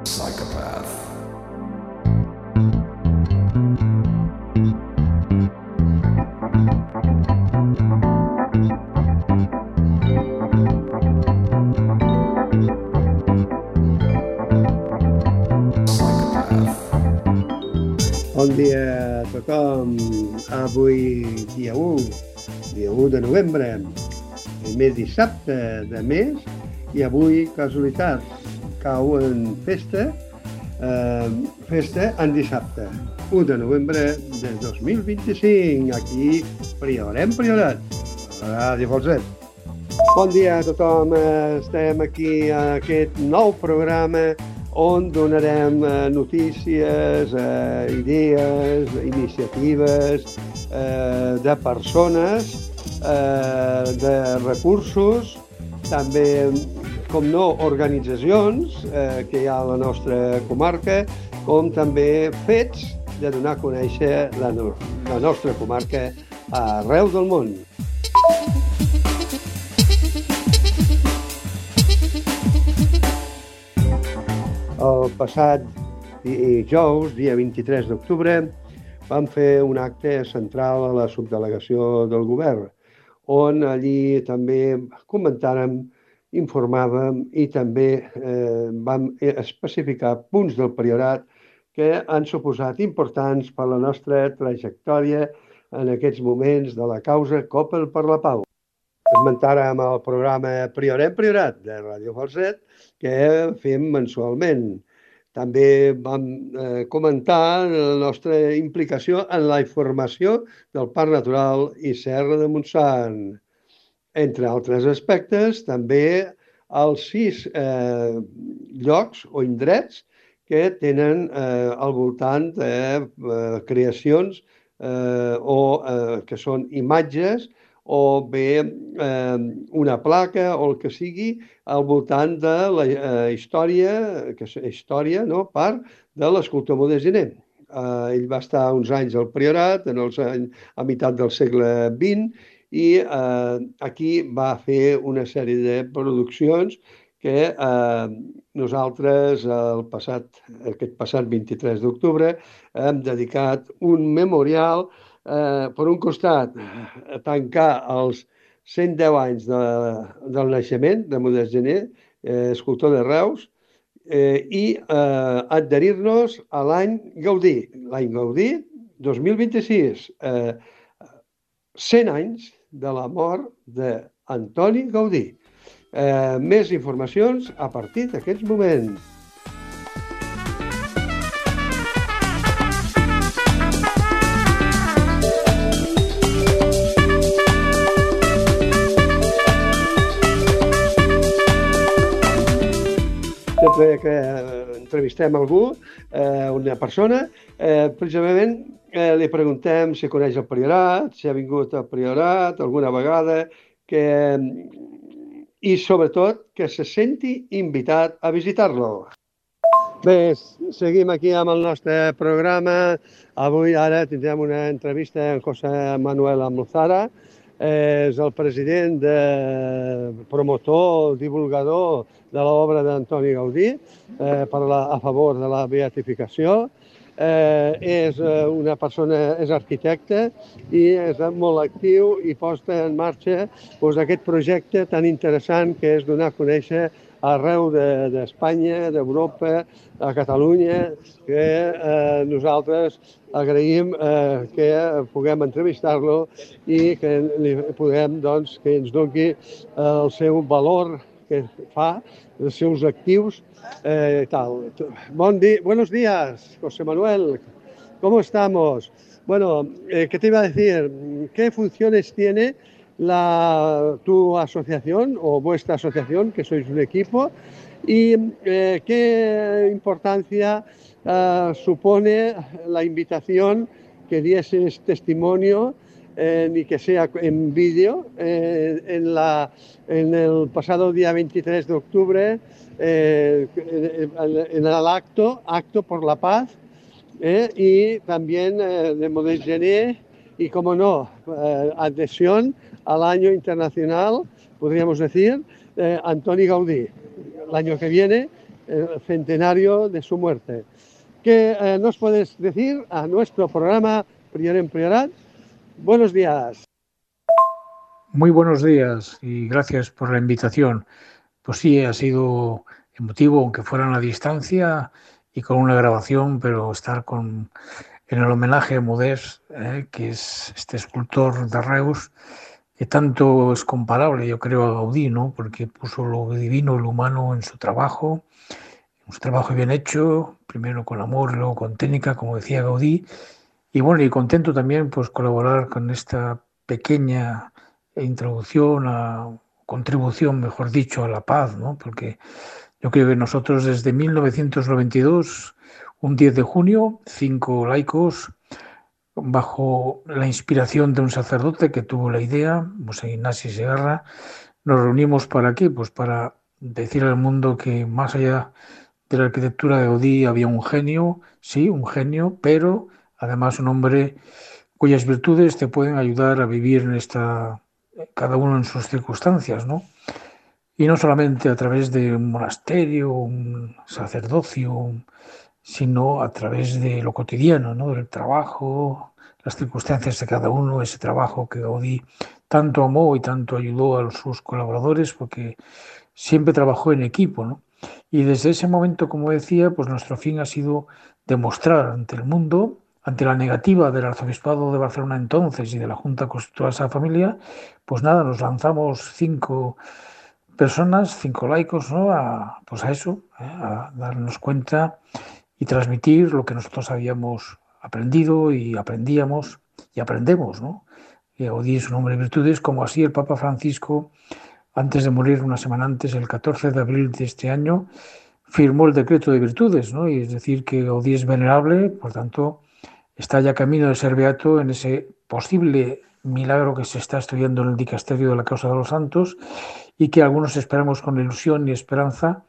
Psychopath. Bon dia a tothom. Avui, dia 1 de novembre, primer dissabte de mes, i avui, casualitat, cau en festa en dissabte, 1 de novembre de 2025, aquí Priorat, a Ràdio Falset. Bon dia a tothom, estem aquí a aquest nou programa on donarem notícies, idees, iniciatives de persones, de recursos, també, com no, organitzacions que hi ha a la nostra comarca, com també fets de donar a conèixer la nostra comarca arreu del món. El passat dijous, dia 23 d'octubre, vam fer un acte central a la subdelegació del govern, on allí també comentàrem, informàvem i també vam especificar punts del Priorat que han suposat importants per la nostra trajectòria en aquests moments de la causa Coppel per la Pau. Esmentàrem el programa Priorat de Ràdio Falset, que fem mensualment. També vam comentar la nostra implicació en la informació del Parc Natural i Serra de Montsant. Entre altres aspectes, també els 6 llocs o indrets que tenen al voltant de creacions o que són imatges o bé una placa o el que sigui al voltant de la història, que és història, no?, part de l'escultor Modest Gené. Ell va estar uns anys al Priorat, a meitat del segle XX, i aquí va fer una sèrie de produccions que nosaltres aquest passat 23 d'octubre hem dedicat un memorial, per un costat, a tancar els 110 anys del naixement de Modest Gené, escultor de Reus, i adherir-nos a l'any Gaudí. L'any Gaudí 2026, 100 anys de la mort d'Antoni Gaudí. Més informacions a partir d'aquests moments. Sempre que entrevistem algú, una persona, precisament li preguntem si coneix el Priorat, si ha vingut al Priorat alguna vegada, i sobretot que se senti invitat a visitar-lo. Bé, seguim aquí amb el nostre programa. Avui, ara, tindrem una entrevista amb José Manuel Almozara. És el president, promotor, divulgador de l'obra d'Antoni Gaudí a favor de la beatificació. És una persona, és arquitecte i és molt actiu i posa en marxa aquest projecte tan interessant que és donar a conèixer arreu d'Espanya, d'Europa, a Catalunya, que nosaltres agraïm que puguem entrevistar-lo i que puguem, doncs, que ens doni el seu valor que fa, els seus actius y tal. Buenos días, José Manuel. ¿Cómo estamos? Bueno, ¿qué te iba a decir? ¿Qué funciones tiene tu asociación o vuestra asociación, que sois un equipo? ¿Y qué importancia supone la invitación que dieses testimonio y que sea en vídeo en el pasado día 23 de octubre en el acto por la paz y también de Modest Gené y, como no, adhesión al año internacional, podríamos decir, Antoni Gaudí, el año que viene, el centenario de su muerte. ¿Qué nos puedes decir a nuestro programa Prior en Priorat? Buenos días. Muy buenos días y gracias por la invitación. Pues sí, ha sido emotivo, aunque fuera a la distancia y con una grabación, pero estar en el homenaje a Modest, que es este escultor de Reus, que tanto es comparable, yo creo, a Gaudí, ¿no? Porque puso lo divino y lo humano en su trabajo bien hecho, primero con amor, luego con técnica, como decía Gaudí. Y bueno, y contento también pues colaborar con esta pequeña contribución, mejor dicho, a la paz, ¿no? Porque yo creo que nosotros desde 1992, un 10 de junio, 5 laicos, bajo la inspiración de un sacerdote que tuvo la idea, José Ignacio Segarra, nos reunimos ¿para qué? Pues para decir al mundo que más allá de la arquitectura de Gaudí había un genio, sí, un genio, pero además un hombre cuyas virtudes te pueden ayudar a vivir cada uno en sus circunstancias, ¿no? Y no solamente a través de un monasterio, un sacerdocio, sino a través de lo cotidiano, ¿no? Del trabajo, las circunstancias de cada uno, ese trabajo que Gaudí tanto amó y tanto ayudó a sus colaboradores, porque siempre trabajó en equipo, ¿no? Y desde ese momento, como decía, pues nuestro fin ha sido demostrar ante el mundo, ante la negativa del Arzobispado de Barcelona entonces y de la Junta Constitutiva de esa familia, pues nada, nos lanzamos 5 personas, 5 laicos, ¿no? Pues a eso, a darnos cuenta y transmitir lo que nosotros habíamos aprendido y aprendíamos y aprendemos, ¿no? Y Gaudí es un hombre de virtudes, como así el Papa Francisco, antes de morir una semana antes, el 14 de abril de este año, firmó el decreto de virtudes, ¿no? Y es decir, que Gaudí es venerable, por tanto, está ya camino de ser beato en ese posible milagro que se está estudiando en el dicasterio de la causa de los santos y que algunos esperamos con ilusión y esperanza,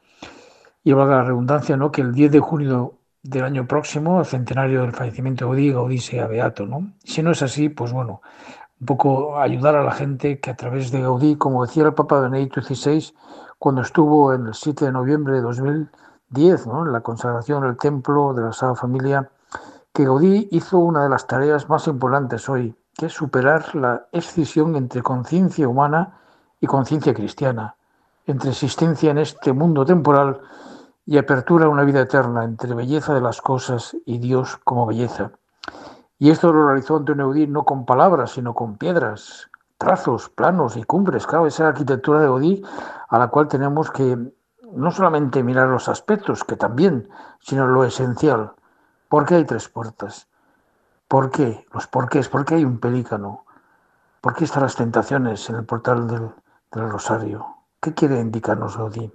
y valga la redundancia, ¿no? Que el 10 de junio del año próximo, el centenario del fallecimiento de Gaudí, Gaudí sea beato, ¿no? Si no es así, pues bueno, un poco ayudar a la gente que a través de Gaudí, como decía el Papa Benedicto XVI, cuando estuvo en el 7 de noviembre de 2010, ¿no? En la consagración del templo de la Sagrada Familia, que Gaudí hizo una de las tareas más importantes hoy, que es superar la escisión entre conciencia humana y conciencia cristiana, entre existencia en este mundo temporal y apertura a una vida eterna, entre belleza de las cosas y Dios como belleza. Y esto lo realizó Antonio Gaudí no con palabras, sino con piedras, trazos, planos y cumbres. Claro, esa arquitectura de Gaudí a la cual tenemos que no solamente mirar los aspectos, que también, sino lo esencial. ¿Por qué hay 3 puertas? ¿Por qué? Los porqués. ¿Por qué hay un pelícano? ¿Por qué están las tentaciones en el portal del Rosario? ¿Qué quiere indicarnos Gaudí?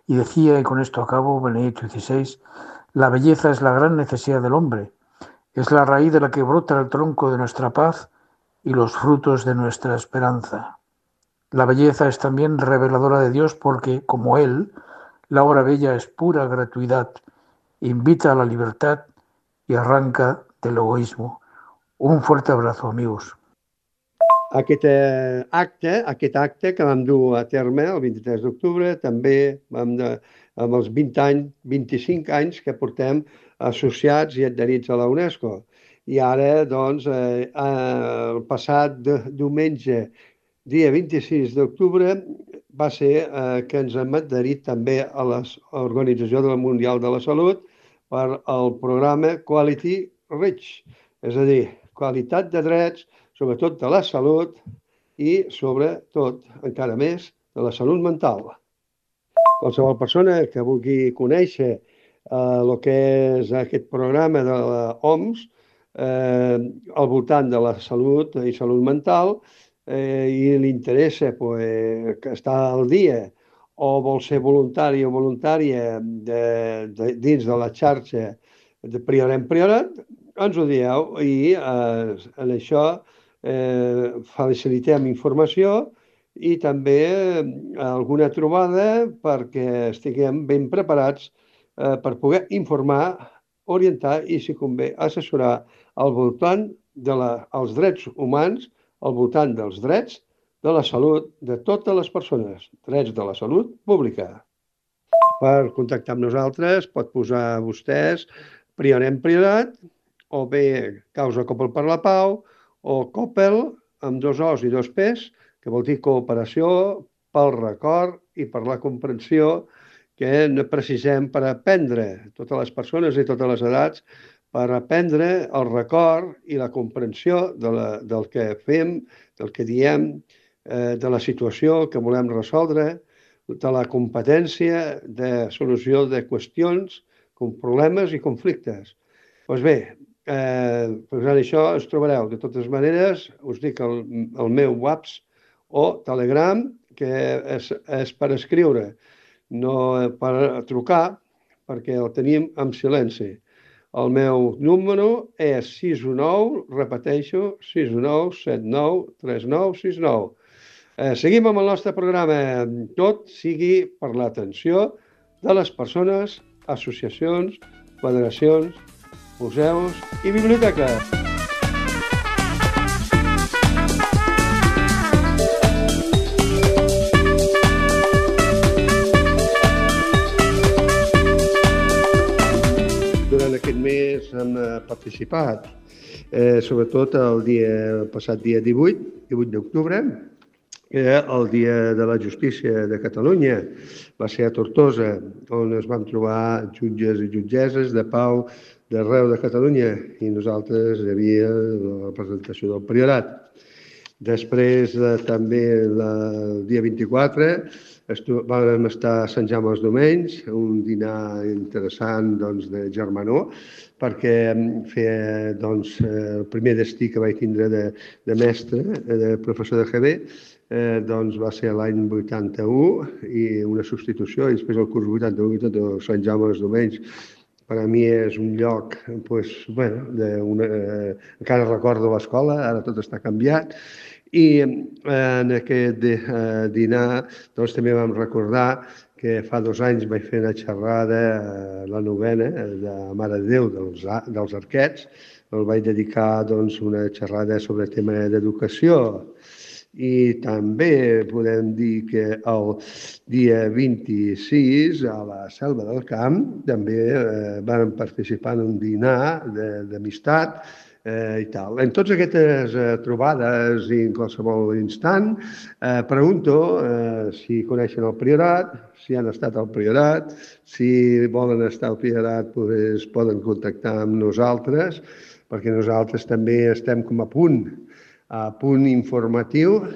Y decía, y con esto acabo, Benedicto XVI, la belleza es la gran necesidad del hombre. Es la raíz de la que brota el tronco de nuestra paz y los frutos de nuestra esperanza. La belleza es también reveladora de Dios porque, como Él, la obra bella es pura gratuidad, invita a la libertad y arranca del egoísmo. Un fuerte abrazo, amigos. Aquest acte que vam dur a terme el 23 d'octubre, també amb els 20 anys, 25 anys que portem associats i adherits a la UNESCO. I ara, doncs, el passat diumenge, dia 26 d'octubre, va ser que ens hem adherit també a l'Organització Mundial de la Salut per al programa Quality Reach, és a dir, qualitat de drets, sobretot de la salut i, sobretot, encara més, de la salut mental. Qualsevol persona que vulgui conèixer el que és aquest programa de l'OMS al voltant de la salut i salut mental i li interessa que està al dia o vol ser voluntari o voluntària dins de la xarxa de Prior en Priorat, ens ho dieu i en això facilitem informació i també alguna trobada perquè estiguem ben preparats per poder informar, orientar i, si convé, assessorar al voltant dels drets humans, al voltant dels drets de la salut de totes les persones, drets de la salut pública. Per contactar amb nosaltres pot posar vostès Prionem Priorat o bé Causa Coppel per la Pau o Coppel amb 2 O's i 2 P's, que vol dir cooperació pel record i per la comprensió que precisem per aprendre, totes les persones i totes les edats, per aprendre el record i la comprensió del que fem, del que diem, de la situació que volem resoldre, de la competència de solució de qüestions, problemes i conflictes. Doncs bé, posant això es trobareu. De totes maneres, us dic el meu WhatsApp o Telegram, que és per escriure, no per trucar, perquè el tenim en silenci. El meu número és 619, repeteixo, 619 79 39 69. Seguim amb el nostre programa. Tot sigui per l'atenció de les persones, associacions, federacions, museus i biblioteques. Durant aquest mes hem participat, sobretot el passat dia 18 d'octubre, que el Dia de la Justícia de Catalunya va ser a Tortosa, on es van trobar jutges i jutgesses de pau d'arreu de Catalunya i nosaltres hi havia la representació del Priorat. Després, també el dia 24, vam estar a Sant Jaume els Domenys, un dinar interessant de germanor, perquè feia el primer destí que vaig tindre de mestre, de professor de GB, va ser l'any 81 i una substitució, i després el curs 81 Sant Jaume els Domenys. Per a mi és un lloc, encara recordo l'escola, ara tot està canviat, i en aquest dinar també vam recordar que fa 2 anys vaig fer una xerrada a la novena de Mare de Déu dels Arquets. El vaig dedicar una xerrada sobre tema d'educació. I també podem dir que el dia 26 a la Selva del Camp també vam participar en un dinar d'amistat i tal. En totes aquestes trobades i en qualsevol instant pregunto si coneixen el Priorat, si han estat al Priorat, si volen estar al Priorat poden contactar amb nosaltres, perquè nosaltres també estem com a punt informatiu,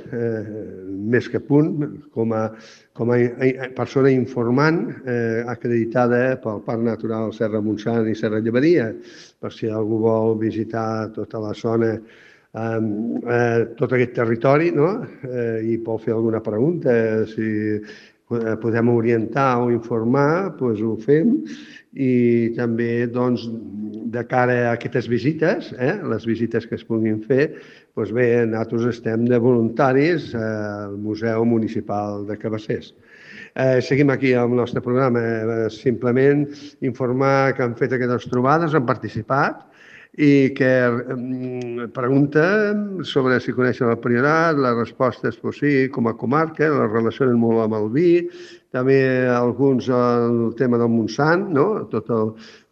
més que punt, com a persona informant acreditada pel Parc Natural Serra Montsant i Serra Llevadia, per si algú vol visitar tota la zona, tot aquest territori, i vol fer alguna pregunta, si podem orientar o informar, doncs ho fem. I també de cara a aquestes visites, les visites que es puguin fer, doncs bé, nosaltres estem de voluntaris al Museu Municipal de Cabassers. Seguim aquí amb el nostre programa, simplement informar que han fet aquestes trobades, han participat, i que pregunten sobre si coneixen el Priorat, la resposta és sí, com a comarca, la relacionen molt amb el vi, també alguns el tema del Montsant, tot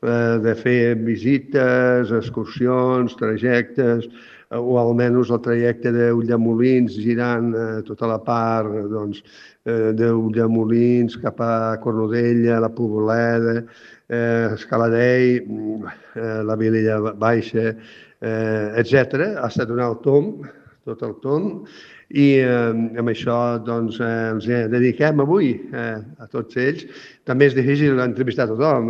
de fer visites, excursions, trajectes, o almenys el trajecte d'Ulldemolins girant tota la part d'Ulldemolins cap a Cornudella, la Poboleda, Escaladei, la Vilella Baixa, etc. Ha estat un alt tomb, tot el tomb, i amb això ens dediquem avui a tots ells. També és difícil entrevistar a tothom,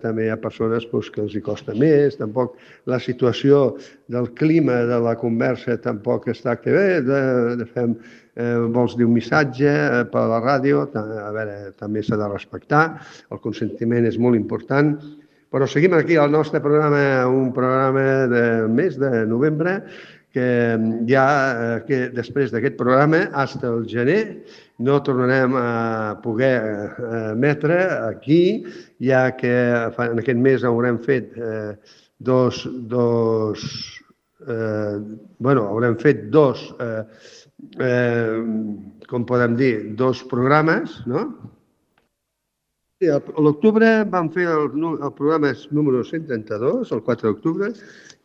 també hi ha persones que els hi costa més, tampoc la situació del clima de la conversa tampoc està que bé, vols dir un missatge per la ràdio, també s'ha de respectar, el consentiment és molt important, però seguim aquí al nostre programa, un programa del mes de novembre, que ja després d'aquest programa, fins al gener, no tornarem a poder emetre aquí, ja que en aquest mes haurem fet com podem dir, dos programes, no? Sí, a l'octubre vam fer el programa número 132, el 4 d'octubre,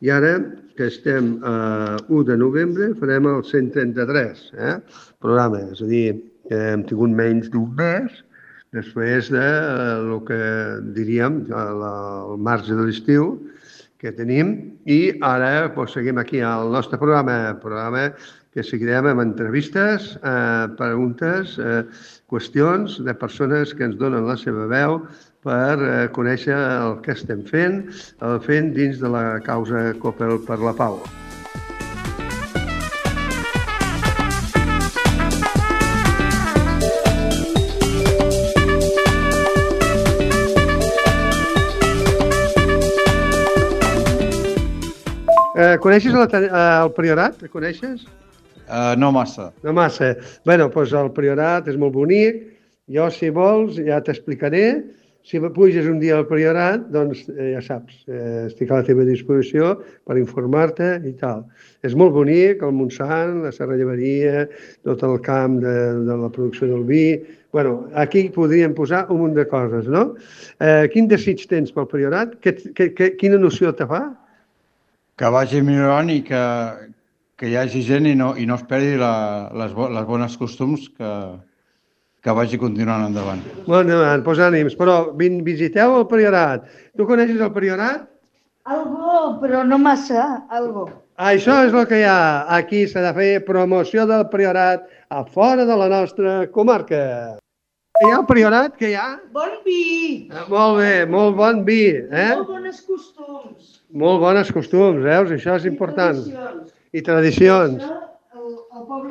i ara, que estem a 1 de novembre, farem el 133 programa. És a dir, hem tingut menys d'un mes després de el que diríem el marge de l'estiu que tenim, i ara seguim aquí al nostre programa que seguirem amb entrevistes, preguntes, qüestions de persones que ens donen la seva veu per conèixer el que estem fent dins de la causa Coppel per la Pau. Coneixes el Priorat? El coneixes? No massa. No massa. Bé, doncs el Priorat és molt bonic. Jo, si vols, ja t'explicaré. Si puges un dia al Priorat, doncs ja saps, estic a la teva disposició per informar-te i tal. És molt bonic, el Montsant, la serralleria, tot el camp de la producció del vi. Bé, aquí podríem posar un munt de coses, no? Quin desig tens pel Priorat? Quina noció te fa? Que vagi millorant i que hi hagi gent i no es perdi les bones costums, que vagi continuant endavant. Molt endavant, doncs ànims. Però visiteu el Priorat. Tu coneixes el Priorat? Algo, però no massa, algo. Això és el que hi ha. Aquí s'ha de fer promoció del Priorat a fora de la nostra comarca. Hi ha el Priorat, que hi ha? Bon vi! Molt bé, molt bon vi. Molt bones costums. Molt bones costums, veus? Això és important. I tradicions.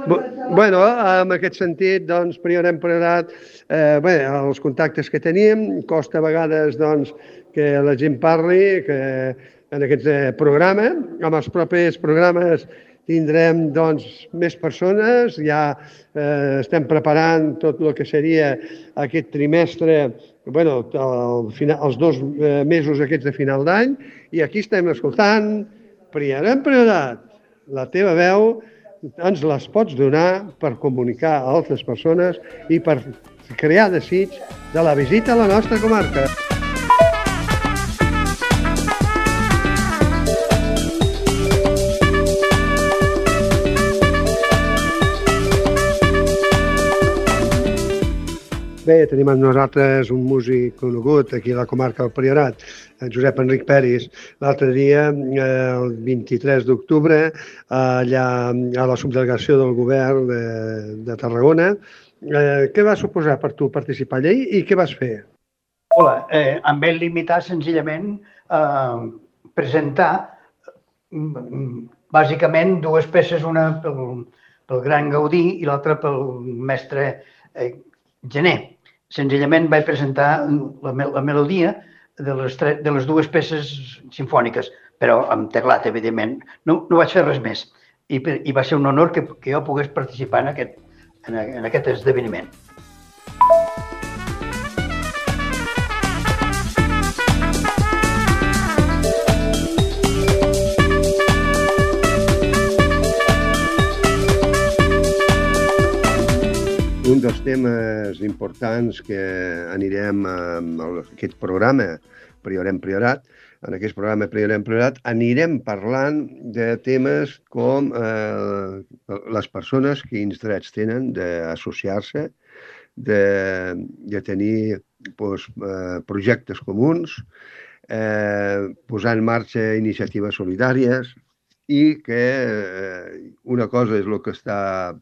Bé, en aquest sentit, doncs, Priorat, els contactes que tenim, costa a vegades doncs, que la gent parli que en aquest programa. Amb els propers programes tindrem doncs, més persones, ja estem preparant tot el que seria aquest trimestre, els 2 mesos aquests de final d'any, i aquí estem escoltant Priorat. La teva veu ens les pots donar per comunicar a altres persones i per crear desig de la visita a la nostra comarca. Bé, tenim amb nosaltres un músic conegut aquí a la comarca del Priorat, en Josep Enric Peris. L'altre dia, el 23 d'octubre, allà a la subdelegació del govern de Tarragona. Què va suposar per tu participar allà i què vas fer? Hola, em vaig limitar senzillament a presentar bàsicament 2 peces, una pel gran Gaudí i l'altra pel mestre Gené. Senzillament vaig presentar la melodia de les 2 peces simfòniques, però amb teclat, evidentment. No vaig fer res més. I va ser un honor que jo pogués participar en aquest esdeveniment. Un dels temes importants que anirem a aquest programa Priorat, en aquest programa Priorat, anirem parlant de temes com les persones, quins drets tenen d'associar-se, de tenir projectes comuns, posar en marxa iniciatives solidàries, i que una cosa és el que està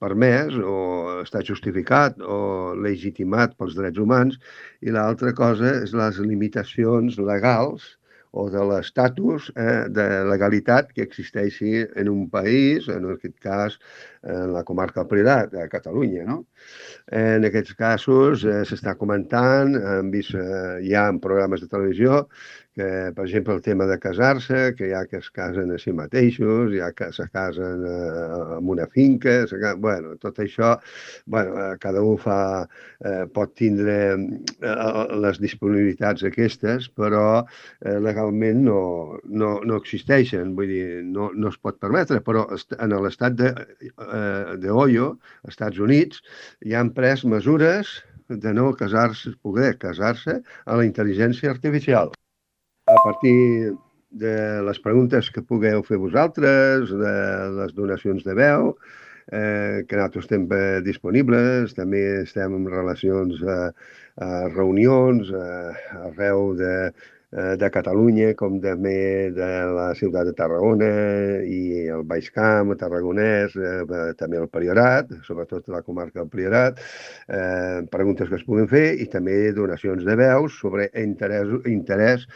permès o està justificat o legitimat pels drets humans, i l'altra cosa és les limitacions legals o de l'estatus de legalitat que existeixi en un país, en aquest cas en la comarca del Priorat, a Catalunya, no? En aquests casos s'està comentant, hem vist ja en programes de televisió, que, per exemple, el tema de casar-se, que hi ha que es casen a si mateixos, hi ha que se casen en una finca, tot això, cada un pot tindre les disponibilitats aquestes, però legalment no existeixen, vull dir, no es pot permetre, però en l'estat d'Ohio, als Estats Units, hi han pres mesures de no poder casar-se a la intel·ligència artificial. A partir de les preguntes que pugueu fer vosaltres, de les donacions de veu, que nosaltres estem disponibles, també estem en relacions a reunions arreu de Catalunya, com també de la ciutat de Tarragona i el Baix Camp, Tarragonès, també el Priorat, sobretot la comarca del Priorat, preguntes que es puguin fer i també donacions de veus sobre interès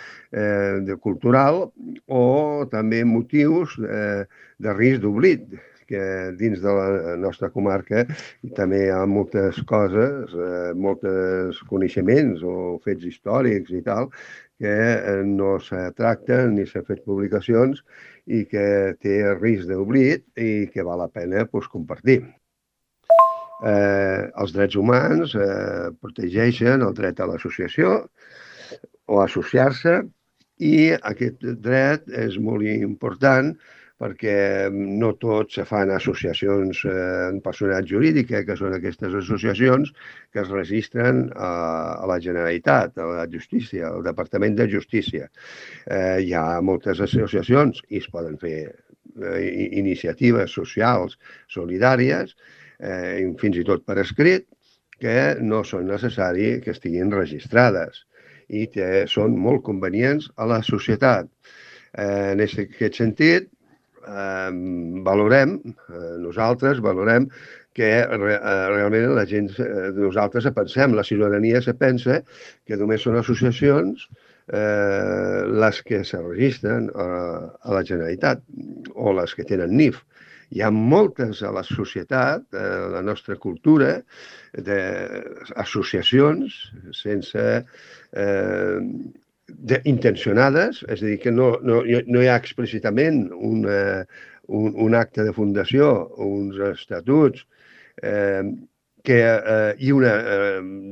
cultural o també motius de risc d'oblit, que dins de la nostra comarca també hi ha moltes coses, molts coneixements o fets històrics i tal, que no se tracten ni s'han fet publicacions i que té risc d'oblit i que val la pena compartir. Els drets humans protegeixen el dret a l'associació o associar-se i aquest dret és molt important perquè no tots se fan associacions en personalitat jurídica, que són aquestes associacions que es registren a la Generalitat, a la Justícia, al Departament de Justícia. Hi ha moltes associacions i es poden fer iniciatives socials solidàries, fins i tot per escrit, que no són necessari que estiguin registrades i que són molt convenients a la societat. En aquest sentit, nosaltres valorem que realment la gent, nosaltres pensem, la ciutadania se pensa que només són associacions les que se registren a la Generalitat o les que tenen NIF. Hi ha moltes a la societat, a la nostra cultura, d'associacions sense intencionades, és a dir, que no hi ha explícitament un acte de fundació, uns estatuts i una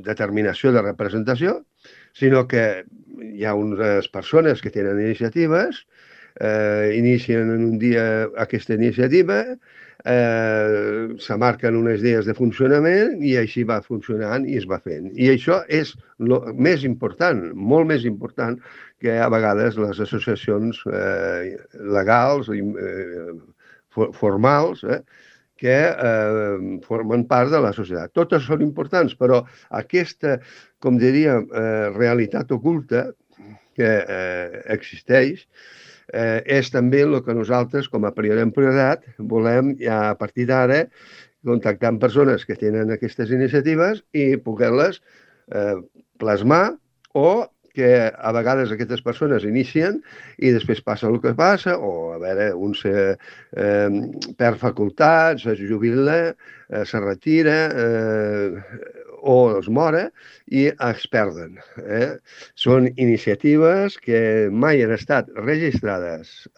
determinació de representació, sinó que hi ha unes persones que tenen iniciatives, inicien en un dia aquesta iniciativa, se marquen unes idees de funcionament i així va funcionant i es va fent. I això és el més important, molt més important que a vegades les associacions legals, formals, que formen part de la societat. Totes són importants, però aquesta, com diríem, realitat oculta que existeix, és també el que nosaltres, com a Priorat, volem ja a partir d'ara contactar amb persones que tenen aquestes iniciatives i poder-les plasmar o que a vegades aquestes persones inicien i després passa el que passa, o a veure, un se perd facultats, es jubila, se retira o es mora i es perden. Són iniciatives que mai han estat registrades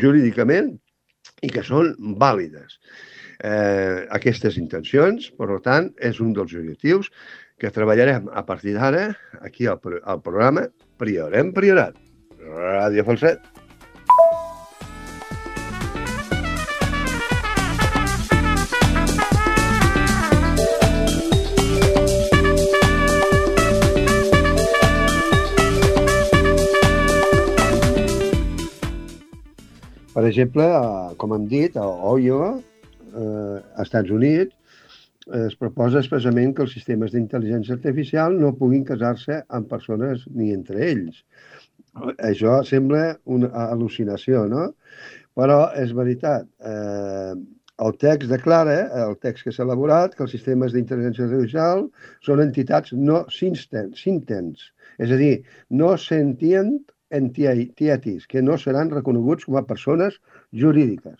jurídicament i que són vàlides. Aquestes intencions, per tant, és un dels objectius que treballarem a partir d'ara aquí al programa Priorem Priorat, Ràdio Falset. Per exemple, com hem dit, a Ohio, als Estats Units, es proposa expressament que els sistemes d'intel·ligència artificial no puguin casar-se amb persones ni entre ells. Això sembla una al·lucinació, no? Però és veritat. El text declara, el text que s'ha elaborat, que els sistemes d'intel·ligència artificial són entitats no sintents, és a dir, no sentient entities, que no seran reconeguts com a persones jurídiques.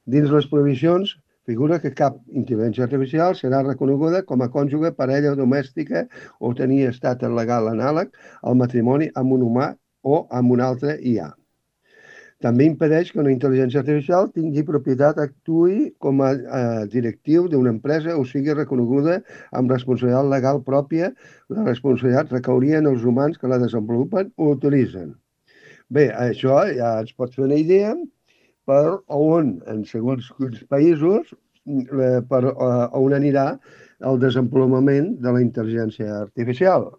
Dins les prohibicions figura que cap intel·ligència artificial serà reconeguda com a cònjuge, parella domèstica o tenir estat legal anàleg al matrimoni amb un humà o amb un altre IA. També impedeix que una intel·ligència artificial tingui propietat, actuï com a directiu d'una empresa o sigui reconeguda amb responsabilitat legal pròpia. La responsabilitat recauria en els humans que la desenvolupen o utilitzen. Bé, això ja ens pot fer una idea per on, en segons quins països, per on anirà el desenvolupament de la intel·ligència artificial.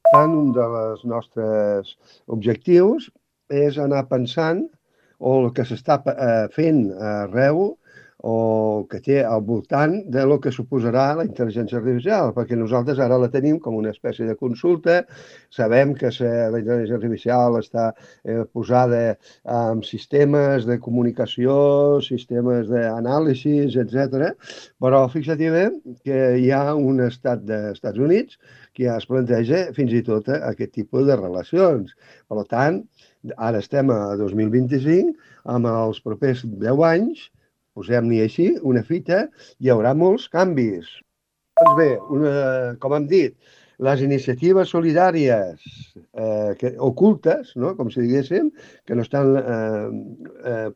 Per tant, un dels nostres objectius és anar pensant o el que s'està fent arreu o que té al voltant de lo que suposarà la intel·ligència artificial, perquè nosaltres ara la tenim com una espècie de consulta, sabem que la intel·ligència artificial està posada en sistemes de comunicació, sistemes d'anàlisis, etc. Però fixa't bé que hi ha un estat dels Estats Units que ja es planteja fins i tot aquest tipus de relacions. Per tant, ara estem a 2025, amb els propers 10 anys, posem-n'hi així, una fita, hi haurà molts canvis. Doncs bé, com hem dit, les iniciatives solidàries ocultes, no? Com si diguéssim, que no estan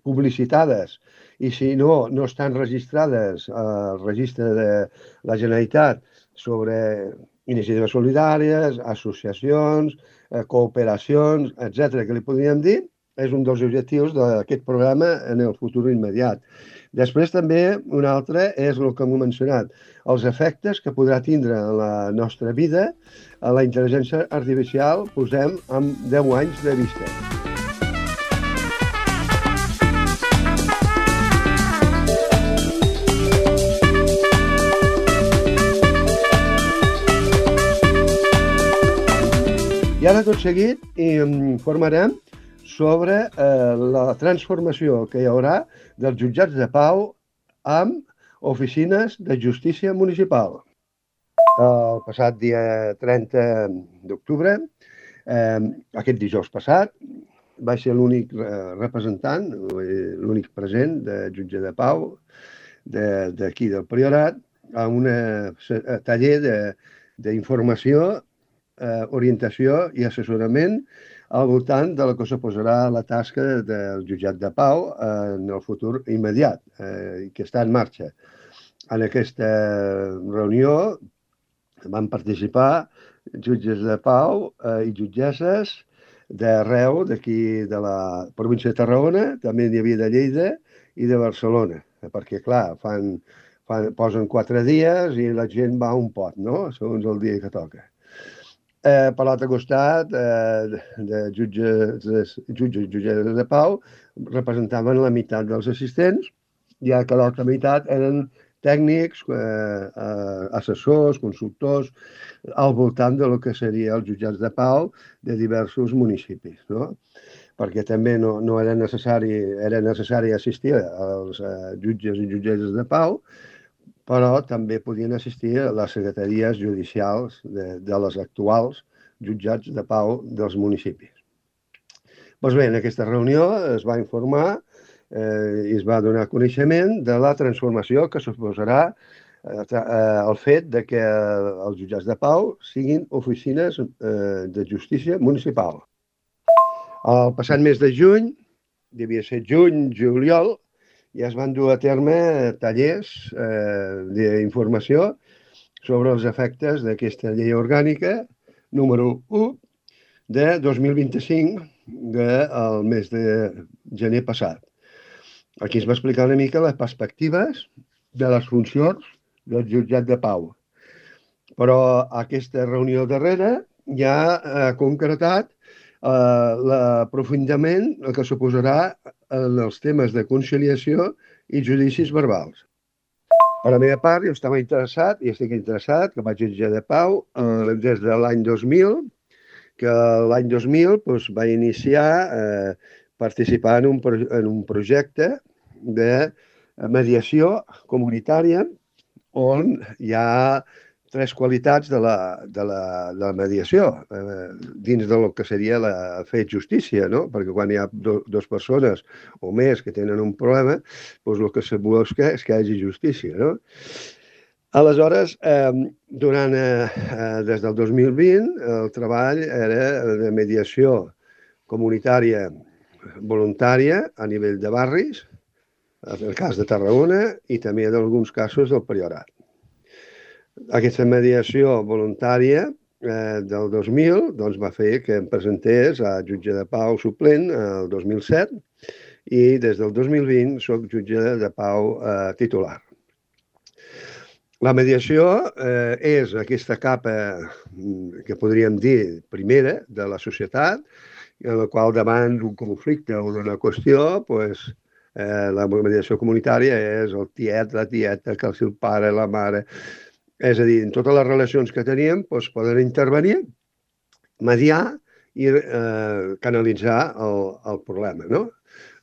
publicitades i si no estan registrades al registre de la Generalitat sobre iniciatives solidàries, associacions, cooperacions, etc., que li podríem dir, és un dels objectius d'aquest programa en el futur immediat. Després també un altre és el que hem mencionat, els efectes que podrà tindre en la nostra vida a la intel·ligència artificial, posem amb 10 anys de vista. I ara tot seguit informarem sobre la transformació que hi haurà dels jutjats de pau amb oficines de justícia municipal. El passat dia 30 d'octubre, aquest dijous passat, va ser l'únic representant, l'únic present de jutge de pau d'aquí del Priorat a un taller d'informació, orientació i assessorament al voltant de la que suposarà la tasca del jutjat de pau en el futur immediat, que està en marxa. En aquesta reunió van participar jutges de pau i jutgesses d'arreu d'aquí de la província de Tarragona, també n'hi havia de Lleida i de Barcelona, perquè, clar, posen 4 dies i la gent va a un pot, no?, segons el dia que toca. Per l'altre costat, de jutges i jutgesses de pau representaven la meitat dels assistents, ja que l'altra meitat eren tècnics, assessors, consultors, al voltant del que seria els jutjats de pau de diversos municipis, no? Perquè també no era necessari assistir als jutges i jutgesses de pau, però també podien assistir a les secretaries judicials de les actuals jutjats de pau dels municipis. Doncs bé, en aquesta reunió es va informar i es va donar coneixement de la transformació que suposarà el fet de que els jutjats de pau siguin oficines de justícia municipal. El passat mes de juny, devia ser juny-juliol, ja es van dur a terme tallers d'informació sobre els efectes d'aquesta llei orgànica número 1 de 2025 del mes de gener passat. Aquí es va explicar una mica les perspectives de les funcions del jutjat de pau. Però aquesta reunió darrera ja ha concretat l'aprofundiment que suposarà en els temes de conciliació i judicis verbals. Per la meva part, jo estava interessat, i estic interessat, com a jutge de pau, des de l'any 2000, que l'any 2000 vaig iniciar participant en un projecte de mediació comunitària on hi ha 3 qualitats de la mediació dins del que seria fer justícia, no? Perquè quan hi ha 2 persones o més que tenen un problema, doncs el que se busca és que hi hagi justícia, no? Aleshores, des del 2020, el treball era de mediació comunitària voluntària a nivell de barris, en el cas de Tarragona i també en alguns casos del Priorat. Aquesta mediació voluntària del 2000 va fer que em presentés a jutge de pau suplent el 2007 i des del 2020 soc jutge de pau titular. La mediació és aquesta capa que podríem dir primera de la societat, en la qual davant d'un conflicte o d'una qüestió, pues, la mediació comunitària és el tiet, la tieta, que és el pare, la mare. És a dir, en totes les relacions que teníem pues, poden intervenir, mediar i canalitzar el problema, no?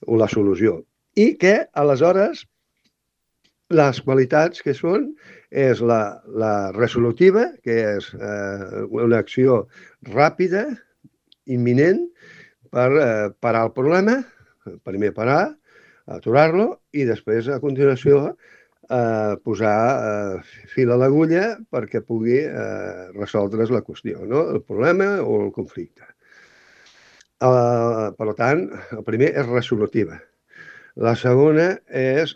O la solució. I que, aleshores, les qualitats que són és la resolutiva, que és una acció ràpida, imminent, per parar el problema, primer parar, aturar-lo i després, a continuació, posar fil a l'agulla perquè pugui resoldre's la qüestió, no? El problema o el conflicte. Per tant, el primer és resolutiva. La segona és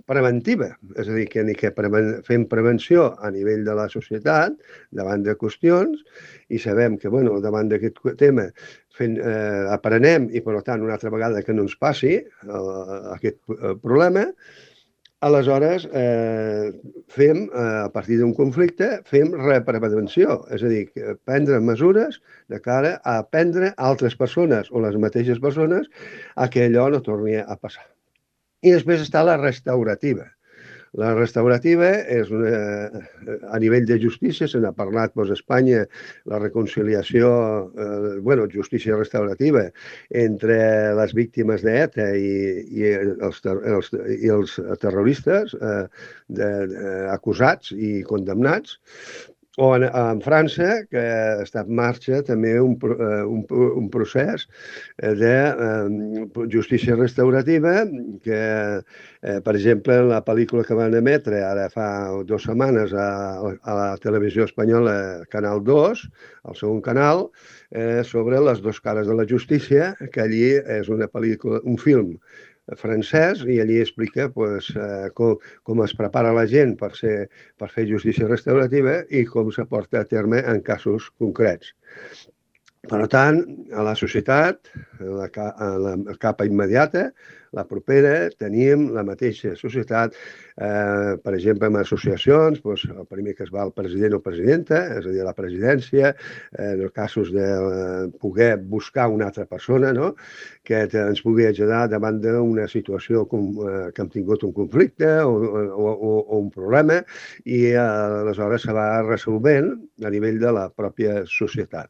preventiva, és a dir, que fem prevenció a nivell de la societat davant de qüestions i sabem que davant d'aquest tema aprenem i, per tant, una altra vegada que no ens passi aquest problema. Aleshores, a partir d'un conflicte, fem reprevenció, és a dir, prendre mesures de cara a aprendre a altres persones o les mateixes persones a que allò no torni a passar. I després està la restaurativa. La restaurativa és a nivell de justícia, se n'ha parlat a Espanya, la reconciliació, justícia restaurativa entre les víctimes d'ETA i els terroristes acusats i condemnats. O en França, que està en marxa també un procés de justícia restaurativa que, per exemple, la pel·lícula que van emetre ara fa 2 setmanes a la televisió espanyola, Canal 2, el segon canal, sobre les 2 cares de la justícia, que allí és una pel·lícula, un film francès, i allí explica com es prepara la gent per fer justícia restaurativa i com se porta a terme en casos concrets. Per tant, a la societat, a la capa immediata, la propera, tenim la mateixa societat, per exemple, en associacions, el primer que es va el president o presidenta, és a dir, la presidència, en els casos de poder buscar una altra persona, no?, que ens pugui ajudar davant d'una situació que hem tingut un conflicte o un problema, i aleshores se va resolvent a nivell de la pròpia societat.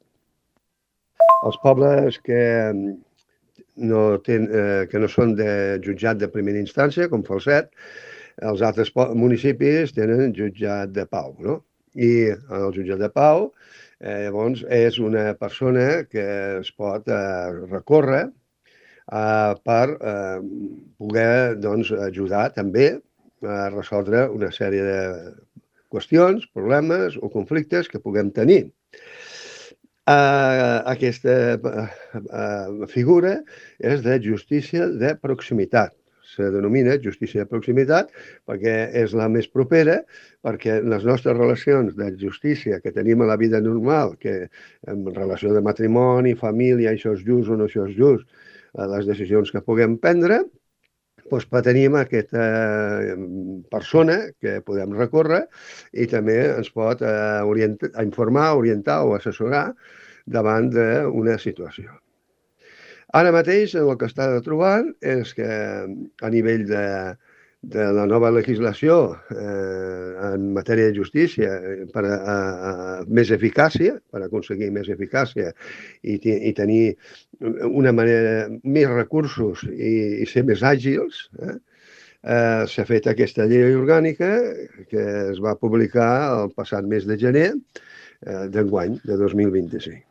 Els pobles que no són de jutjat de primera instància, com Falset, els altres municipis tenen jutjat de pau, no? I el jutjat de pau, llavors, és una persona que es pot recórrer per poder ajudar també a resoldre una sèrie de qüestions, problemes o conflictes que puguem tenir. Aquesta figura és de justícia de proximitat. Se denomina justícia de proximitat perquè és la més propera, perquè les nostres relacions de justícia que tenim a la vida normal, que en relació de matrimoni, família, això és just o no això és just, les decisions que puguem prendre, doncs tenim aquesta persona que podem recórrer i també ens pot informar, orientar o assessorar davant d'una situació. Ara mateix el que està trobant és que a nivell de la nova legislació en matèria de justícia per més eficàcia, per aconseguir més eficàcia i tenir una manera, més recursos i ser més àgils, s'ha fet aquesta llei orgànica que es va publicar el passat mes de gener d'enguany, de 2025.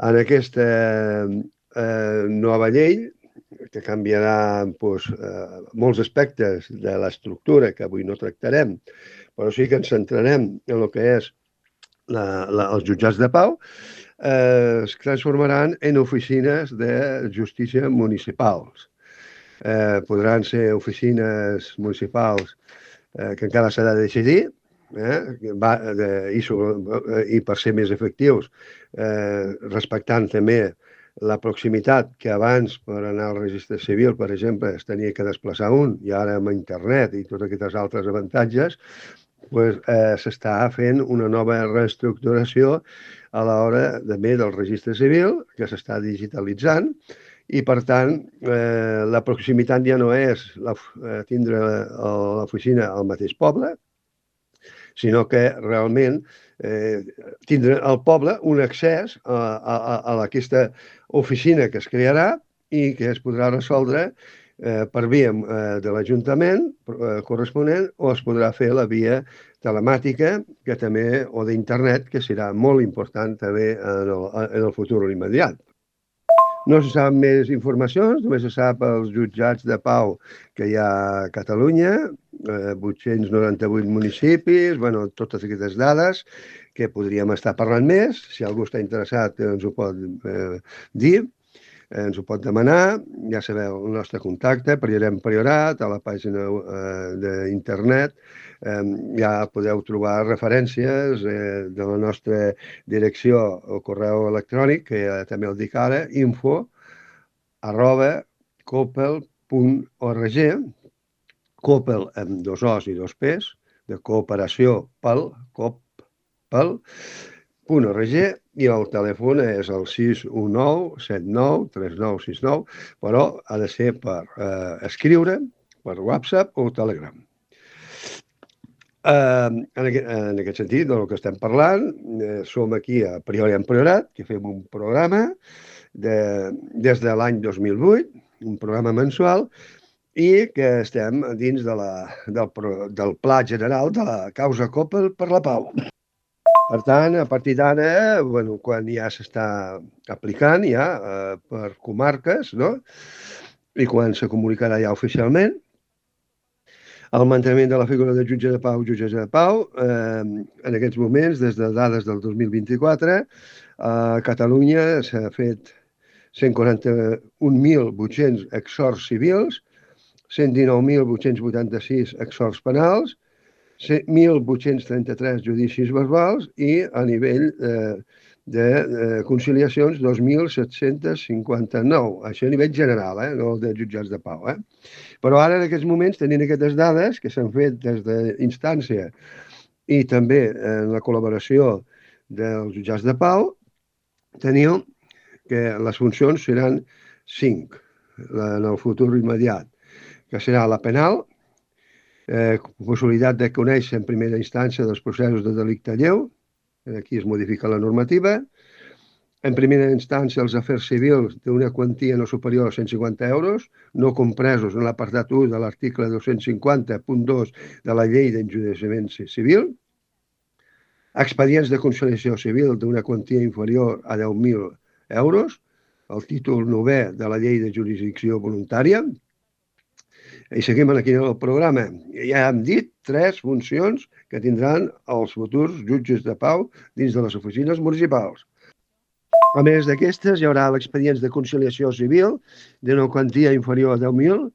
En aquesta nova llei, que canviarà molts aspectes de l'estructura que avui no tractarem, però sí que ens centrarem en el que és els jutjats de pau, es transformaran en oficines de justícia municipals. Podran ser oficines municipals que encara s'ha de decidir, i per ser més efectius, respectant també la proximitat que abans per anar al registre civil, per exemple, es tenia que desplaçar un, i ara amb internet i tots aquests altres avantatges, s'està fent una nova reestructuració a l'hora també del registre civil, que s'està digitalitzant, i per tant la proximitat ja no és tindre l'oficina al mateix poble, sinó que realment tindre al poble un accés a aquesta oficina que es crearà i que es podrà resoldre per via de l'Ajuntament corresponent, o es podrà fer la via telemàtica que també, o d'internet, que serà molt important també en el futur immediat. No se sap més informacions, només se sap els jutjats de pau que hi ha a Catalunya, 898 municipis, totes aquestes dades que podríem estar parlant més. Si algú està interessat ens ho pot dir, ens ho pot demanar. Ja sabeu el nostre contacte, Priorem Priorat, a la pàgina d'internet. Ja podeu trobar referències de la nostra direcció o correu electrònic, que també el dic ara, info@copel.org, Copel amb 2 O's i 2 P's, de cooperació copel.org, i el telèfon és el 619 79 3969, però ha de ser per escriure, per WhatsApp o Telegram. En aquest sentit, del que estem parlant, som aquí a Priorem Priorat, que fem un programa des de l'any 2008, un programa mensual, i que estem dins del Pla General de la Causa Copel per la Pau. Per tant, a partir d'ara, quan ja s'està aplicant per comarques, no? I quan se comunicarà ja oficialment, el manteniment de la figura de jutge de pau, jutgessa de pau, en aquests moments, des de dades del 2024, a Catalunya s'ha fet 141.800 exhorts civils, 119.886 exhorts penals, 1.833 judicis verbals i a nivell de conciliacions 2.759. Això a nivell general, no el de jutjats de pau. Però ara, en aquests moments, tenint aquestes dades que s'han fet des d'instància i també en la col·laboració dels jutjats de pau, teniu que les funcions seran 5 en el futur immediat, que serà la penal, possibilitat de conèixer en primera instància dels processos de delicte lleu, aquí es modifica la normativa, en primera instància els afers civils d'una quantia no superior a 150 euros, no compresos en l'apartat 1 de l'article 250.2 de la llei d'enjudiciament civil, expedients de conciliació civil d'una quantia inferior a 10.000 euros, el títol 9è de la llei de jurisdicció voluntària. I seguim aquí en el programa. Ja hem dit 3 funcions que tindran els futurs jutges de pau dins de les oficines municipals. A més d'aquestes, hi haurà expedients de conciliació civil d'una quantia inferior a 10.000,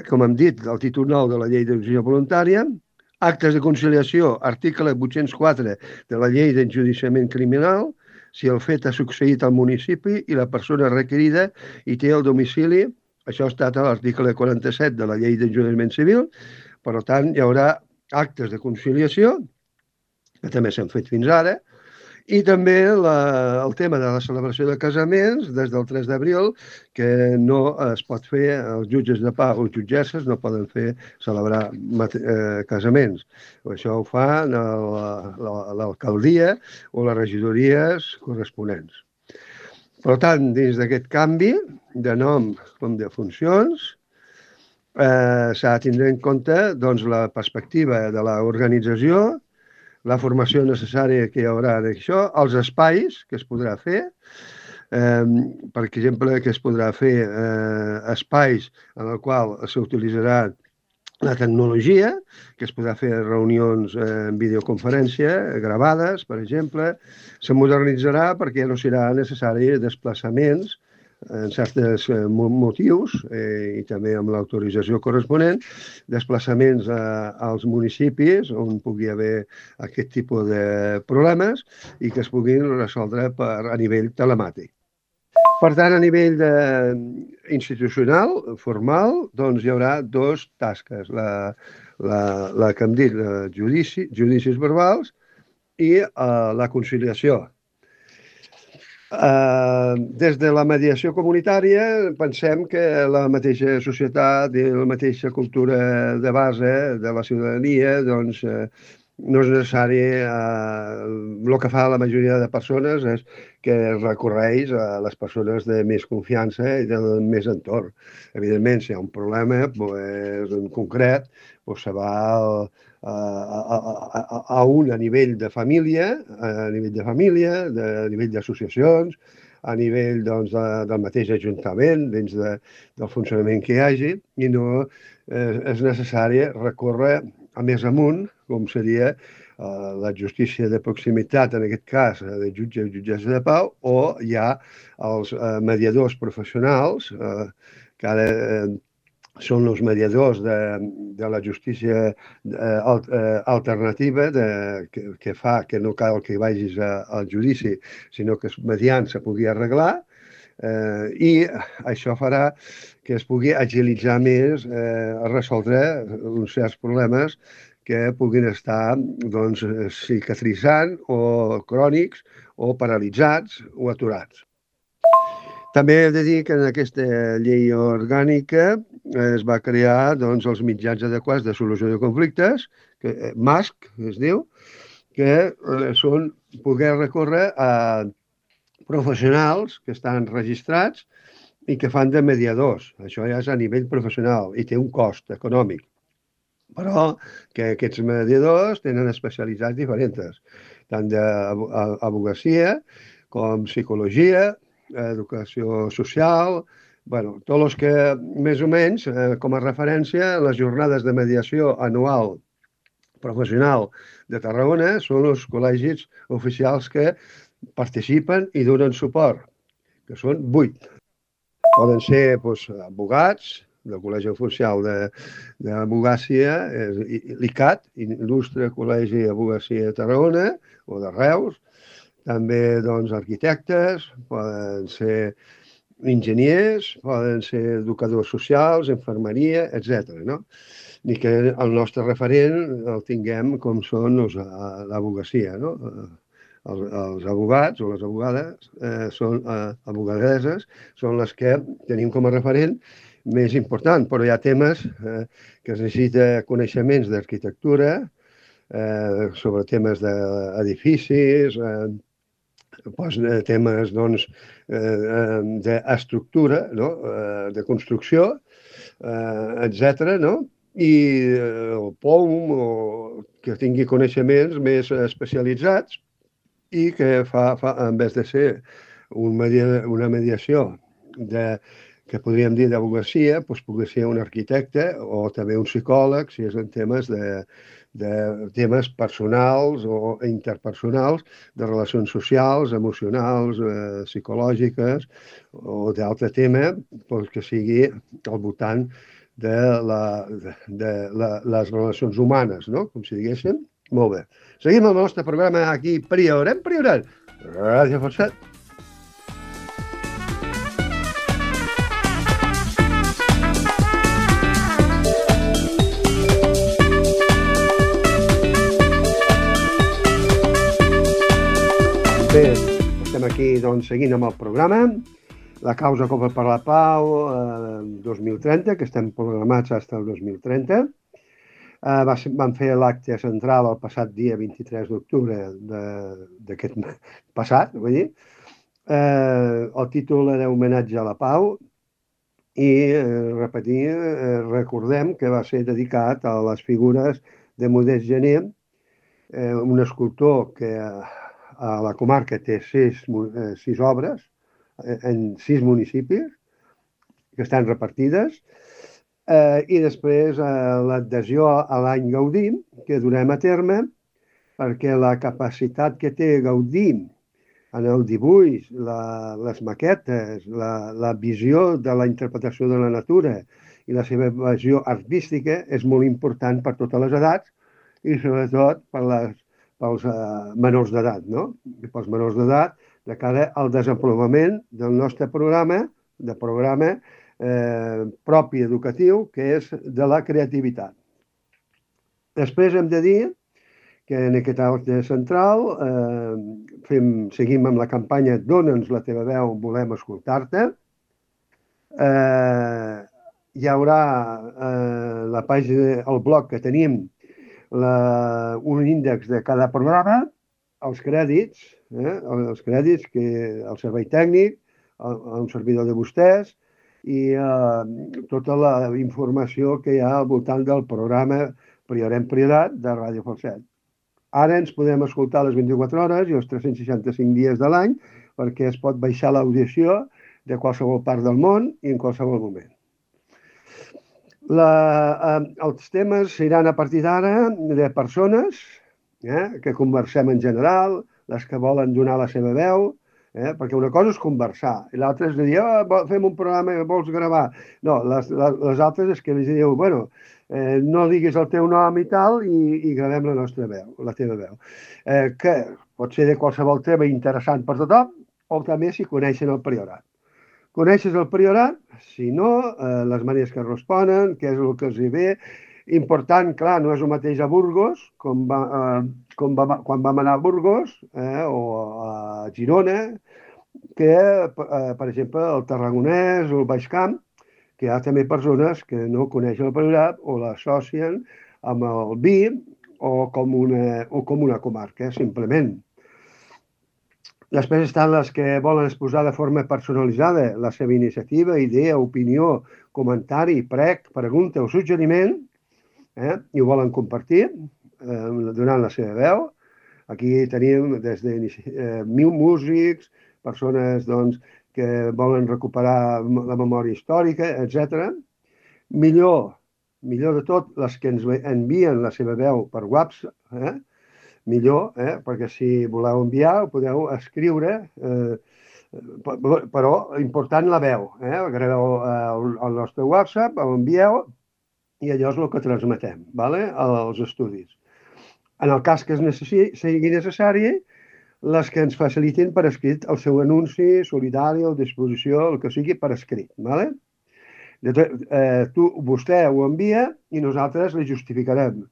com hem dit, el títol 9 de la llei de jurisdicció voluntària, actes de conciliació, article 804 de la llei d'enjudiciament criminal, si el fet ha succeït al municipi i la persona requerida hi té el domicili. Això ha estat a l'article 47 de la llei d'enjudiciament civil. Per tant, hi haurà actes de conciliació, que també s'han fet fins ara, i també el tema de la celebració de casaments des del 3 d'abril, que no es pot fer, els jutges de pau o jutgesses no poden celebrar casaments. Això ho fa l'alcaldia o les regidories corresponents. Per tant, dins d'aquest canvi de nom com de funcions, s'ha de tindre en compte la perspectiva de l'organització, la formació necessària que hi haurà d'això, els espais que es podrà fer, per exemple, que es podrà fer espais en el qual s'utilitzarà la tecnologia, que es podrà fer reunions en videoconferència, gravades, per exemple. Se modernitzarà perquè no serà necessari desplaçaments en certs motius i també amb l'autorització corresponent, desplaçaments als municipis on pugui haver aquest tipus de problemes i que es puguin resoldre a nivell telemàtic. Per tant, a nivell institucional, formal, doncs hi haurà dues tasques. La que hem dit, judicis verbals i la conciliació. Des de la mediació comunitària pensem que la mateixa societat i la mateixa cultura de base de la ciutadania doncs, no és necessari. El que fa la majoria de persones és que recorreix a les persones de més confiança i de més entorn. Evidentment, si hi ha un problema pues, en concret, pues, se va a nivell de família, a nivell d'associacions, a nivell doncs, del mateix ajuntament, dins del funcionament que hi hagi, i no és necessari recórrer a més amunt, com seria la justícia de proximitat, en aquest cas, de jutge i jutgessa de pau, o hi ha els mediadors professionals, que ara són els mediadors de la justícia alternativa que fa que no cal que vagis al judici, sinó que mediant se pugui arreglar, i això farà que es pugui agilitzar més a resoldre uns certs problemes que puguin estar doncs, cicatritzant o crònics o paralitzats o aturats. També he de dir que en aquesta llei orgànica es va crear doncs, els mitjans adequats de solució de conflictes, MASC es diu, que són poder recórrer a professionals que estan registrats i que fan de mediadors. Això ja és a nivell professional i té un cost econòmic. Però que aquests mediadors tenen especialitats diferents, tant d'advocacia com psicologia, educació social, bueno, tots els que més o menys, com a referència, les jornades de mediació anual professional de Tarragona són els col·legis oficials que participen i donen suport, que són 8. Poden ser doncs, advocats del Col·legi Oficial d'Advocàcia, l'ICAT, Il·lustre Col·legi d'Advocàcia de Tarragona, o de Reus, també doncs, arquitectes, poden ser enginyers, poden ser educadors socials, infermeria, etc. No? I que el nostre referent el tinguem com són l'advocacia. No? Els advocats o les advocades són advocadeses, són les que tenim com a referent més important, però hi ha temes que es necessita coneixements d'arquitectura, sobre temes d'edificis, temes doncs, d'estructura, no? De construcció, etc. No? I el POUM, que tingui coneixements més especialitzats i que en vez de ser una mediació que podríem dir d'advocacia, doncs pugui ser un arquitecte o també un psicòleg, si és en temes temes personals o interpersonals, de relacions socials, emocionals, psicològiques o d'altre tema doncs, que sigui al voltant de les relacions humanes, no? Com si diguéssim. Molt bé. Seguim el nostre programa aquí, Priorat. Gràcies, Forçat. Bé, estem aquí doncs, seguint amb el programa. La causa Copa per la Pau 2030, que estem programats fins al 2030. Vam fer l'acte central el passat dia 23 d'octubre d'aquest passat, vull dir. El títol era Homenatge a la Pau i, recordem que va ser dedicat a les figures de Modest Gené, un escultor que a la comarca té 6 obres en 6 municipis que estan repartides, i després l'adhesió a l'any Gaudí, que durem a terme, perquè la capacitat que té Gaudí en el dibuix, les maquetes, la visió de la interpretació de la natura i la seva visió artística és molt important per totes les edats i sobretot pels menors d'edat, no? I pels menors d'edat de cara al desenvolupament del nostre programa propi educatiu, que és de la creativitat. Després hem de dir que en aquest acte central seguim amb la campanya Dóna'ns la teva veu, volem escoltar-te. Hi haurà la pàgina, el blog que tenim, un índex de cada programa, els crèdits, que el servei tècnic, un servidor de vostès, i tota la informació que hi ha al voltant del programa Priorem Priorat de Ràdio Falset. Ara ens podem escoltar les 24 hores i els 365 dies de l'any, perquè es pot baixar l'audició de qualsevol part del món i en qualsevol moment. Els temes seran a partir d'ara de persones que conversem en general, les que volen donar la seva veu, perquè una cosa és conversar i l'altra és dir, fem un programa que vols gravar. No, les altres és que els diu, bueno, no diguis el teu nom i tal i gravem la nostra veu, la teva veu. Que pot ser de qualsevol tema interessant per tothom o també si coneixen el Priorat. Coneixes el Priorat? Si no, les maneres que responen, què és el que els hi ve. Important, clar, no és el mateix a Burgos, quan vam anar a Burgos o a Girona, que, per exemple, el Tarragonès o el Baix Camp, que hi ha també persones que no coneixen el Priorat o l'associen amb el vi o com una comarca, simplement. Després estan les que volen exposar de forma personalitzada la seva iniciativa, idea, opinió, comentari, prec, pregunta o suggeriment, i ho volen compartir donant la seva veu. Aquí tenim des de músics, persones que volen recuperar la memòria històrica, etc. Millor de tot, les que ens envien la seva veu per WhatsApp, millor, perquè si voleu enviar ho podeu escriure, però important la veu. Graveu el nostre WhatsApp, l'envieu i allò és el que transmetem als estudis. En el cas que sigui necessari, les que ens facilitin per escrit el seu anunci solidari o disposició, el que sigui per escrit. Vostè ho envia i nosaltres li justificarem.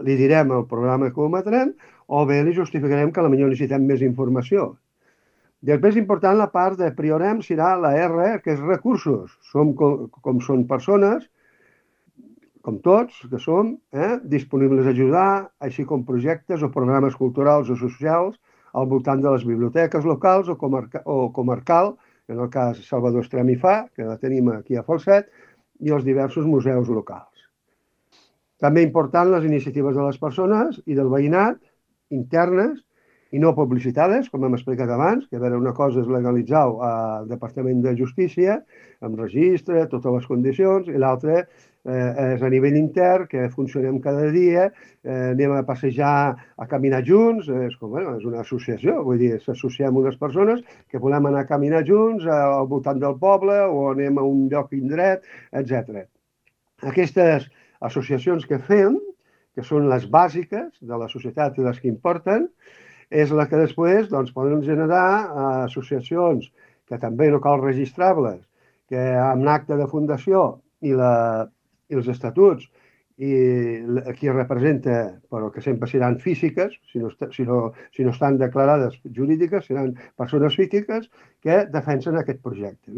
Li direm el programa que ho emetrem o bé li justificarem que potser necessitem més informació. Després, important, la part de Priorem serà la R, que és recursos. Com són persones, com tots que som, disponibles a ajudar, així com projectes o programes culturals o socials al voltant de les biblioteques locals o comarcal, en el cas Salvador Estrem i Fa, que la tenim aquí a Falset, i els diversos museus locals. També important les iniciatives de les persones i del veïnat, internes i no publicitades, com hem explicat abans, que una cosa és legalitzar-ho al Departament de Justícia, amb registre, totes les condicions, i l'altra és a nivell intern, que funcionem cada dia, anem a passejar, a caminar junts, és una associació, vull dir, s'associem unes persones que volem anar a caminar junts al voltant del poble o anem a un lloc indret, etc. Aquestes associacions que fem, que són les bàsiques de la societat i les que importen, és la que després poden generar associacions que també no cal registrar-les, que amb l'acte de fundació i els estatuts i qui representa, però que sempre seran físiques, si no estan declarades jurídiques, seran persones físiques que defensen aquest projecte.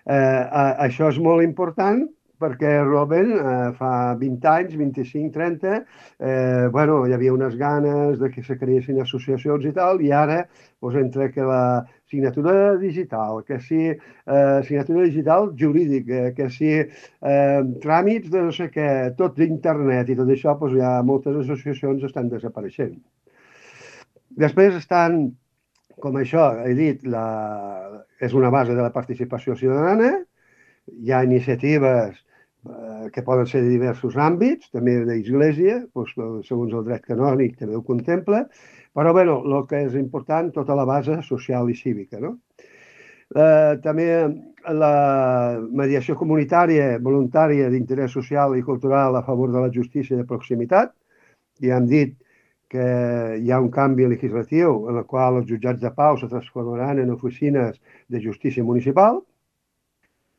Això és molt important perquè realment fa 20 anys, 25, 30, hi havia unes ganes de que se creessin associacions i tal, i ara, entre que la signatura digital, que si signatura digital jurídica, que si tràmits de no sé què, tot d'internet i tot això, ja moltes associacions estan desapareixent. Després estan, com això he dit, és una base de la participació ciutadana, hi ha iniciatives que poden ser de diversos àmbits, també d'església, segons el dret canònic també ho contempla, però el que és important, tota la base social i cívica. També la mediació comunitària voluntària d'interès social i cultural a favor de la justícia de proximitat. Ja hem dit que hi ha un canvi legislatiu en el qual els jutjats de pau se transformaran en oficines de justícia municipal,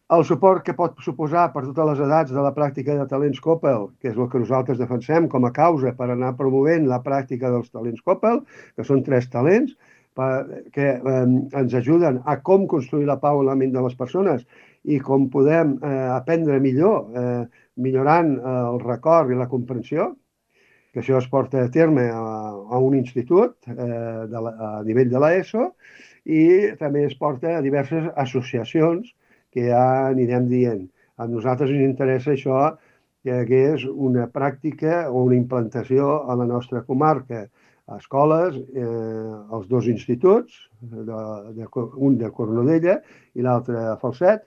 el suport que pot suposar per totes les edats de la pràctica de talents Coppel, que és el que nosaltres defensem com a causa per anar promovent la pràctica dels talents Coppel, que són 3 talents, que ens ajuden a com construir la pau en la ment de les persones i com podem aprendre millor, millorant el record i la comprensió, que això es porta a terme a un institut a nivell de l'ESO i també es porta a diverses associacions que ja anirem dient. A nosaltres ens interessa això, que hagués una pràctica o una implantació a la nostra comarca, a escoles, als 2 instituts, un de Cornudella i l'altre a Falset,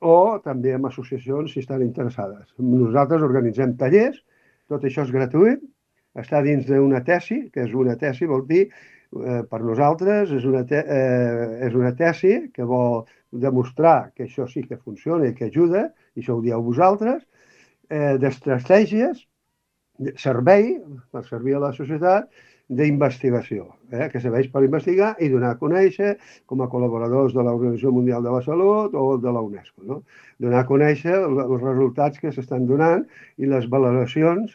o també amb associacions si estan interessades. Nosaltres organitzem tallers, tot això és gratuït, està dins d'una tesi, que és una tesi, vol dir, per nosaltres, és una tesi que vol demostrar que això sí que funciona i que ajuda, i això ho dieu vosaltres, d'estratègies, servei, per servir a la societat, d'investigació, que serveix per investigar i donar a conèixer com a col·laboradors de l'Organització Mundial de la Salut o de la UNESCO. No? Donar a conèixer els resultats que s'estan donant i les valoracions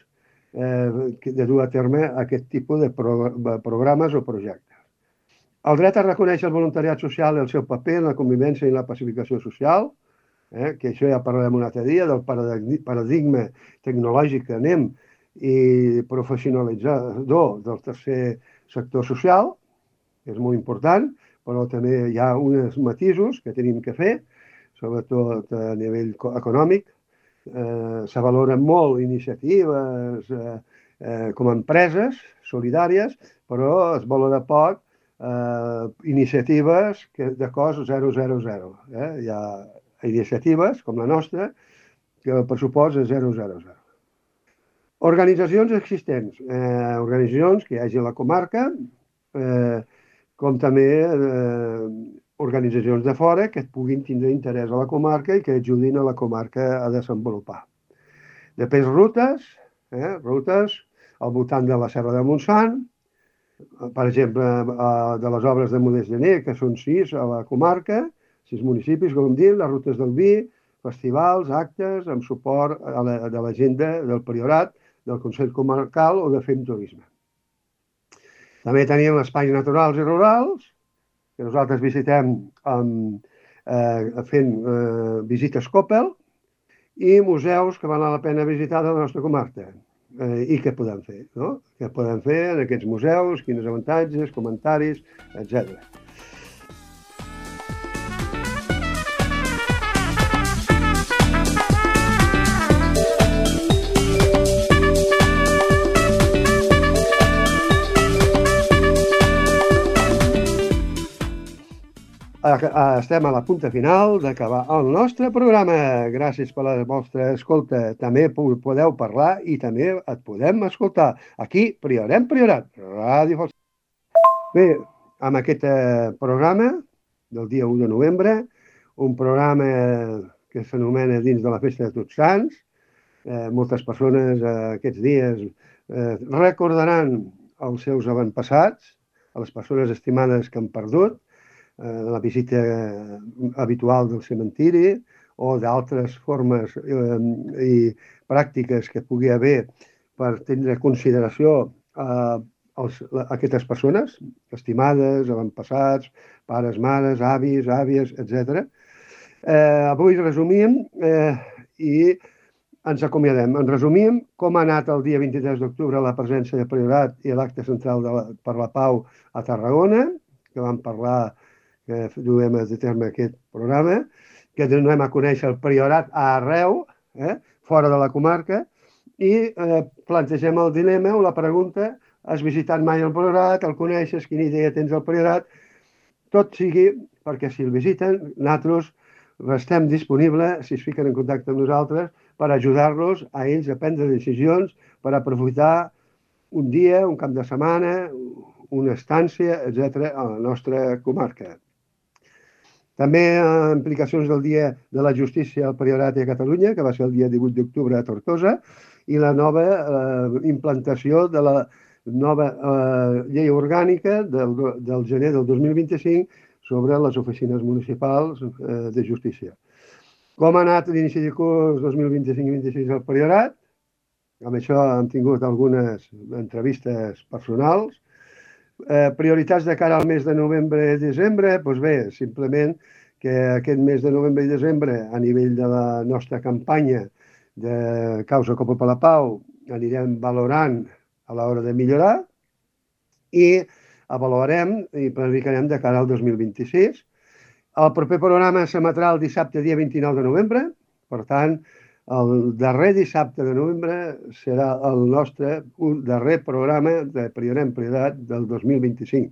de dur a terme aquest tipus de programes o projectes. El dret a reconèixer el voluntariat social i el seu paper en la convivència i la pacificació social, que això ja parlarem un altre dia, del paradigma tecnològic que anem i professionalitzador del tercer sector social, que és molt important, però també hi ha uns matisos que tenim que fer, sobretot a nivell econòmic. Se valoren molt iniciatives com a empreses solidàries, però es valora poc iniciatives de cost 000. Hi ha iniciatives com la nostra que el pressupost és 000. Organitzacions existents, organitzacions que hi hagi a la comarca, com també organitzacions de fora que puguin tindre interès a la comarca i que ajudin a la comarca a desenvolupar. Després rutes al voltant de la Serra de Montsant, per exemple, de les obres de Modest Gener, que són 6 a la comarca, 6 municipis, com hem dit, les rutes del vi, festivals, actes, amb suport de l'agenda del Priorat, del Consell Comarcal o de Fem Turisme. També tenim espais naturals i rurals, que nosaltres visitem fent visites Coppel, i museus que val la pena visitar de la nostra comarca. I què podem fer, no? Què podem fer en aquests museus, quins avantatges, comentaris, etc. Estem a la punta final d'acabar el nostre programa. Gràcies per la vostra escolta. També podeu parlar i també et podem escoltar. Aquí, Priorat, Ràdio Falset. Bé, amb aquest programa del dia 1 de novembre, un programa que s'anomena Dins de la Festa de Tots Sants. Moltes persones aquests dies recordaran els seus avantpassats, a les persones estimades que han perdut, la visita habitual del cementiri o d'altres formes i pràctiques que pugui haver per tenir consideració a aquestes persones estimades, avantpassats, pares, mares, avis, àvies, etc. Avui resumim i ens acomiadem. En resumim com ha anat el dia 23 d'octubre la presència de Priorat i l'acte central per la pau a Tarragona, que vam parlar que duem a terme aquest programa, que donem a conèixer el Priorat arreu, fora de la comarca, i plantegem el dilema o la pregunta: has visitat mai el Priorat, el coneixes, quina idea tens del Priorat? Tot sigui perquè si el visiten, nosaltres restem disponibles, si es fiquen en contacte amb nosaltres, per ajudar-los a ells a prendre decisions per aprofitar un dia, un cap de setmana, una estància, etc., a la nostra comarca. També implicacions del Dia de la Justícia al Priorat i a Catalunya, que va ser el dia 18 d'octubre a Tortosa, i la nova implantació de nova llei orgànica del gener del 2025 sobre les oficines municipals de justícia. Com ha anat l'inici de curs 2025-26 al Priorat? Amb això hem tingut algunes entrevistes personals. Prioritats de cara al mes de novembre i desembre? Doncs bé, simplement que aquest mes de novembre i desembre, a nivell de la nostra campanya de Causa Copa per la Pau, anirem valorant a l'hora de millorar i avaluarem i planificarem de cara al 2026. El proper programa s'emetrà el dissabte, dia 29 de novembre. Per tant, el darrer dissabte de novembre serà el nostre darrer programa de Priorem Priorat del 2025.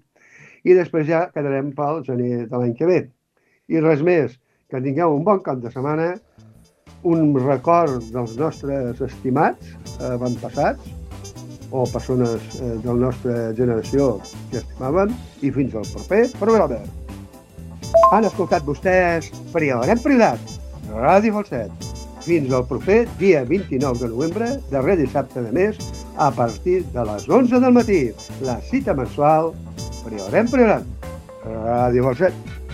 I després ja quedarem pel gener de l'any que ve. I res més, que tingueu un bon cap de setmana, un record dels nostres estimats avantpassats o persones de la nostra generació que estimaven, i fins al proper programa. Han escoltat vostès Priorem Priorat, Ràdio Falset. Fins al proper dia 29 de novembre, darrer dissabte de mes, a partir de les 11 del matí. La cita mensual Priorem Priorat, Ràdio Falset.